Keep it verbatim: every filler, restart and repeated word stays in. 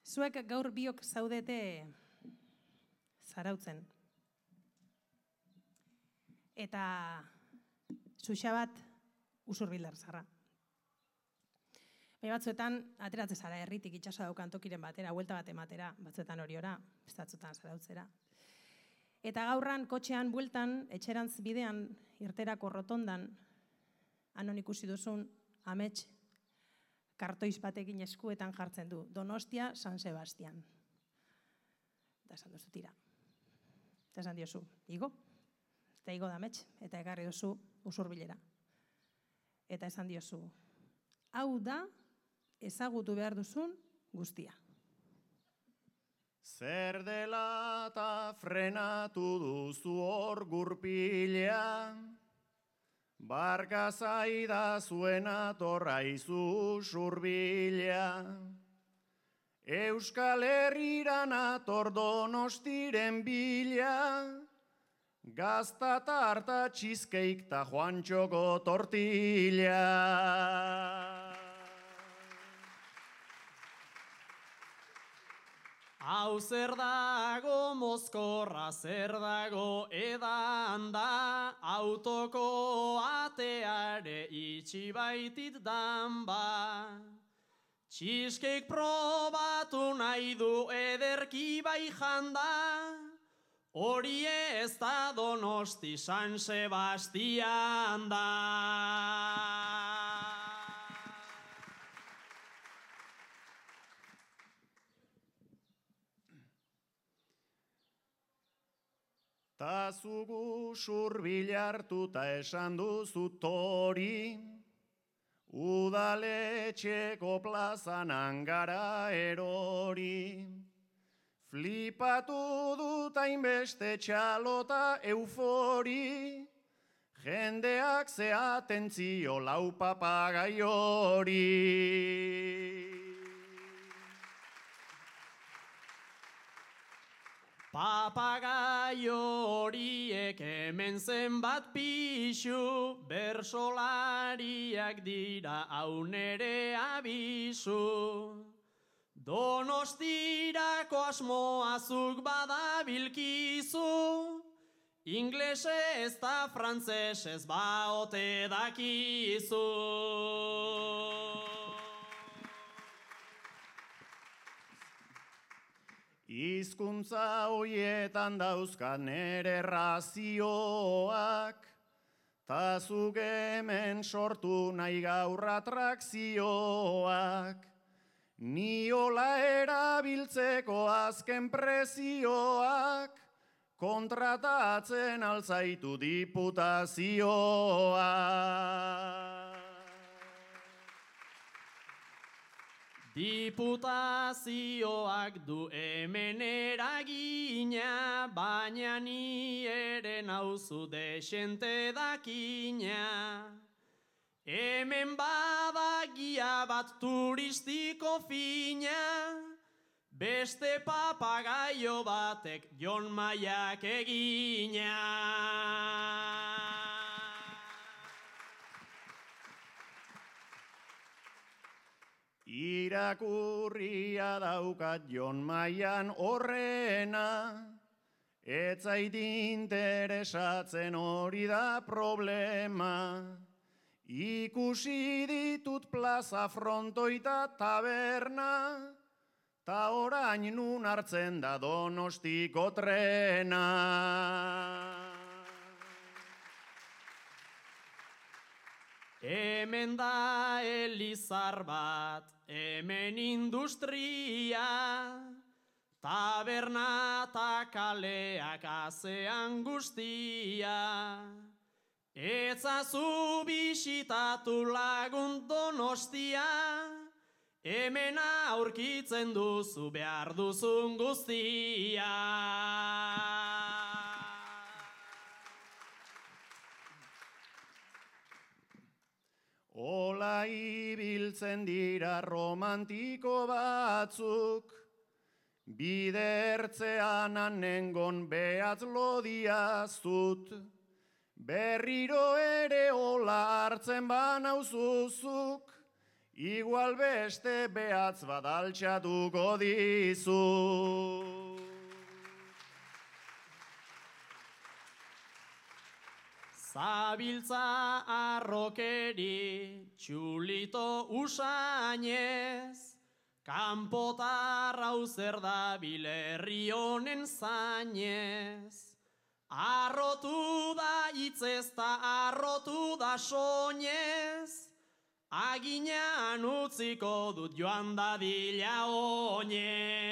Zuek gaur biok zaudete Zarautzen. Eta Xuxa bat Usurbilder zarra. Bai batzuetan, ateratzen zara herritik itxasoa daukan tokiren batera, huelta bat ematera, batzuetan horiora, bestatzutan Zarautzera. Eta gaurran, kotxean, bueltan, etxerantz bidean, irterako rotondan, anon ikusi duzun, amets, kartoiz batekin eskuetan jartzen du. Donostia, San Sebastian. Eta esan duzu tira. Eta esan diozu, igo. Eta igo da amets, eta ekarri duzu Usurbilera. Eta esan diozu, hau da, ezagutu behar duzun guztia. Zer dela eta frenatu duzu hor gurpilea, barka zaida zuena torraizu Usurbilea. Euskal Herriran ator Donostiren bila, gazta tarta txizkeik ta Juantxoko tortilla. Hau zer dago mozkorra, zer dago edan da, autoko ateare itxi baitit dan ba. Txiskeik probatu nahi du ederki bai janda, hori ez da Donosti San Sebastian da. Ta zugu Usurbil hartuta esan duzu tori, udaletxeko plazan angara erori. Flipatu dut hainbeste txalota eufori, jendeak ze atentzio lau papagai hori. Papagai horiek hemen zenbat pixu, bersolariak dira hau nere abisu. Donostirako asmoazuk badabilkizu, inglese ez da frantzesez baote dakizu. Hizkuntza hoietan dauzkat nere razioak, ta zuk hemen sortu nahi gaur atrakzioak. Ni hola erabiltzeko azken prezioak, kontratatzen altzaitu diputazioak. Diputazioak du hemen eragina, baina ni ere nauzu desente dakina. Hemen badagia bat turistiko fina, beste papagaio batek Jon Maiak egina. Irakurria daukat Jon Maian horrena, ez zait interesatzen hori da problema. Ikusi ditut plaza frontoita taberna, ta orain nun hartzen da Donostiko trena. Hemen da elizar bat, hemen industria, taberna ta kaleak azean guztia. Etzazu bisitatu lagun Donostia, hemen aurkitzen duzu behar duzun guztia. Ola ibiltzen dira romantiko batzuk, bidertzean anengon behatz lodiazut, berriro ere ola hartzen banauzuzuk, igual beste behatz bat altxatuko dizu. Zabiltza arrokeri txulito usainez, kanpotar hau zer da bilerri honen zainez. Arrotu da hitzez ta arrotu da soinez, aginan utziko dut joan dadila oinez.